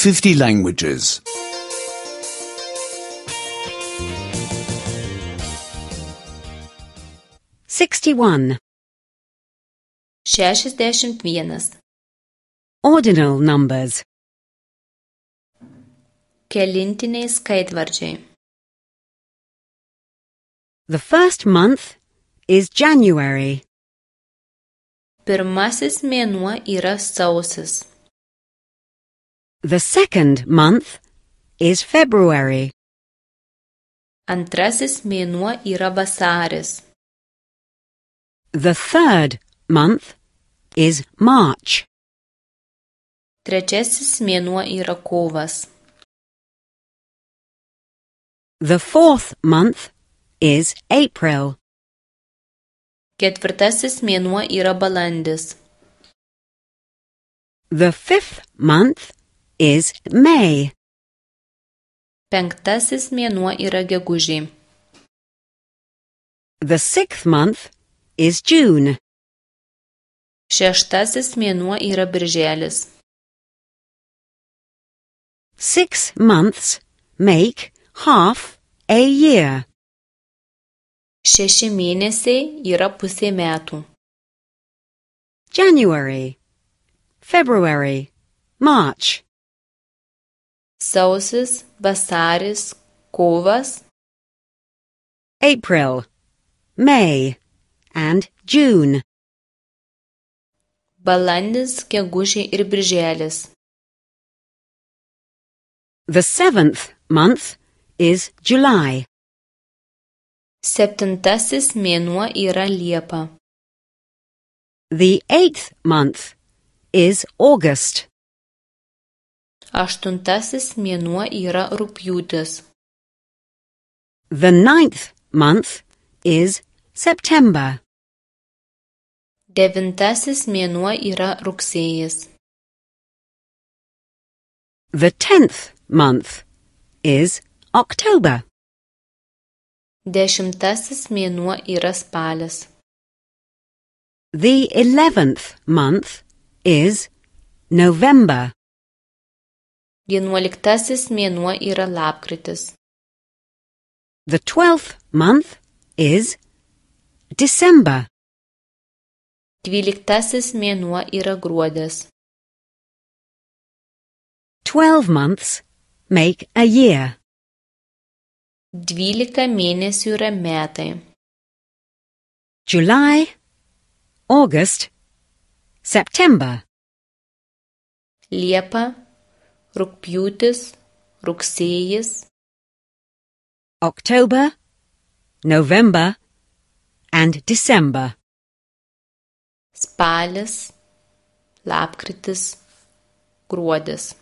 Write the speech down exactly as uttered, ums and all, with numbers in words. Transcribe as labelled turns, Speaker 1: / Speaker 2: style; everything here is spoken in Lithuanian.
Speaker 1: fifty languages.
Speaker 2: sixty-one.
Speaker 3: šešiasdešimt vienas.
Speaker 2: Ordinal numbers.
Speaker 3: Kelintiniai skaitvardžiai.
Speaker 2: The first month is January.
Speaker 3: Pirmasis mėnuo yra sausis.
Speaker 2: The second month is February.
Speaker 3: Antrasis mėnuo yra vasaris.
Speaker 2: The third month is March.
Speaker 3: Trečiasis mėnuo yra kovas.
Speaker 2: The fourth month is April.
Speaker 3: Ketvirtasis mėnuo yra balandis.
Speaker 2: The fifth month is May.
Speaker 3: Penktasis mėnuo yra gegužė.
Speaker 2: The sixth month is June.
Speaker 3: Šeštasis mėnuo yra birželis.
Speaker 2: Six months make half a year.
Speaker 3: Šeši mėnesiai yra pusė metų.
Speaker 2: January, February, March.
Speaker 3: Sausis, vasaris, kovas.
Speaker 2: April, May, and June.
Speaker 3: Balandis, gegužė ir birželis.
Speaker 2: The seventh month is July.
Speaker 3: Septintasis mėnuo yra Liepa.
Speaker 2: The eighth month is August.
Speaker 3: Aštuntasis mėnuo yra Rugpjūtis.
Speaker 2: The ninth month is September.
Speaker 3: Devintasis mėnuo yra Rugsėjis.
Speaker 2: The tenth month is October.
Speaker 3: Dešimtasis mėnuo yra Spalis.
Speaker 2: The eleventh month is November.
Speaker 3: Vienuoliktasis mėnuo yra Lapkritis.
Speaker 2: The twelfth month is December.
Speaker 3: Dvyliktasis mėnuo yra Gruodis.
Speaker 2: Twelve months make a year.
Speaker 3: Dvylika mėnesių yra metai.
Speaker 2: July, August, September.
Speaker 3: Liepa, Rugpjūtis, Rugsėjis.
Speaker 2: October, November, and December.
Speaker 3: Spalis, Lapkritis, Gruodis.